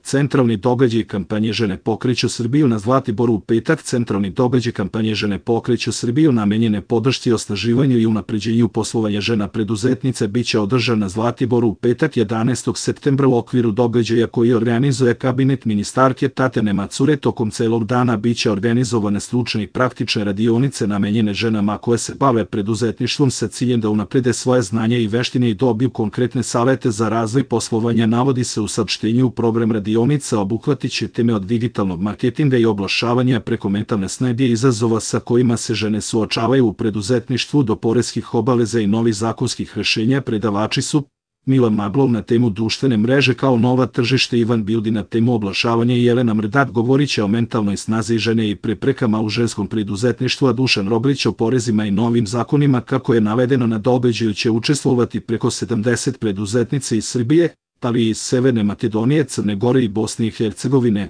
Centralni događaj kampanje Žene pokreću Srbiju na Zlatiboru u petak. Centralni događaj kampanje Žene pokreću Srbiju namenjene podršci osnaživanju i unapređenju poslovanja žena preduzetnica biće održan na Zlatiboru u petak 11. septembra u okviru događaja koji organizuje kabinet ministarke Tatjane Macure. Tokom celog dana biće organizovane stručne i praktične radionice namenjene ženama koje se bave preduzetništvom sa ciljem da unaprede svoje znanje i veštine i dobiju konkretne savete za razvoj poslovanja. Navodi se u saopštenju. Program radionica obuhvatit će teme od digitalnog marketinga i oglašavanja preko mentalne snage i izazova sa kojima se žene suočavaju u preduzetništvu do poreskih obaveza i novih zakonskih rešenja. Predavači su Milan Maglov na temu društvene mreže kao nova tržište, Ivan Bildi na temu oglašavanja i Jelena Mrdat govorit će o mentalnoj snazi žene i preprekama u ženskom preduzetništvu, a Dušan Roglić o porezima i novim zakonima. Kako je navedeno, na događaju će učestvovati preko 70 preduzetnica iz Srbije, ali i iz Severne Makedonije, Crne Gore i Bosne i Hercegovine.